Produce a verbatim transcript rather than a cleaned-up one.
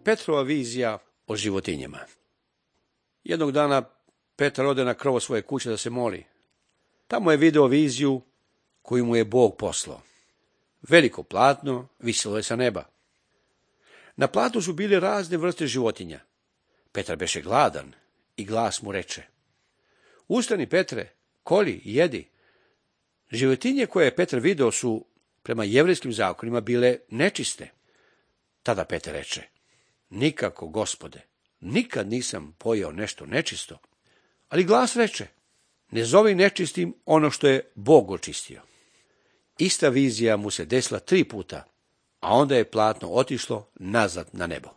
Petrova vizija o životinjama. Jednog dana Petar ode na krovo svoje kuće da se moli. Tamo je video viziju koju mu je Bog poslao. Veliko platno visilo je sa neba. Na platnu su bile razne vrste životinja. Petar beše gladan i glas mu reče: Ustani, Petre, koli i jedi. Životinje koje je Petar video su prema jevrejskim zakonima bile nečiste. Tada Petar reče: Nikako, Gospode, nikad nisam pojeo nešto nečisto. Ali glas reče: Ne zovi nečistim ono što je Bog očistio. Ista vizija mu se desila tri puta, a onda je platno otišlo nazad na nebo.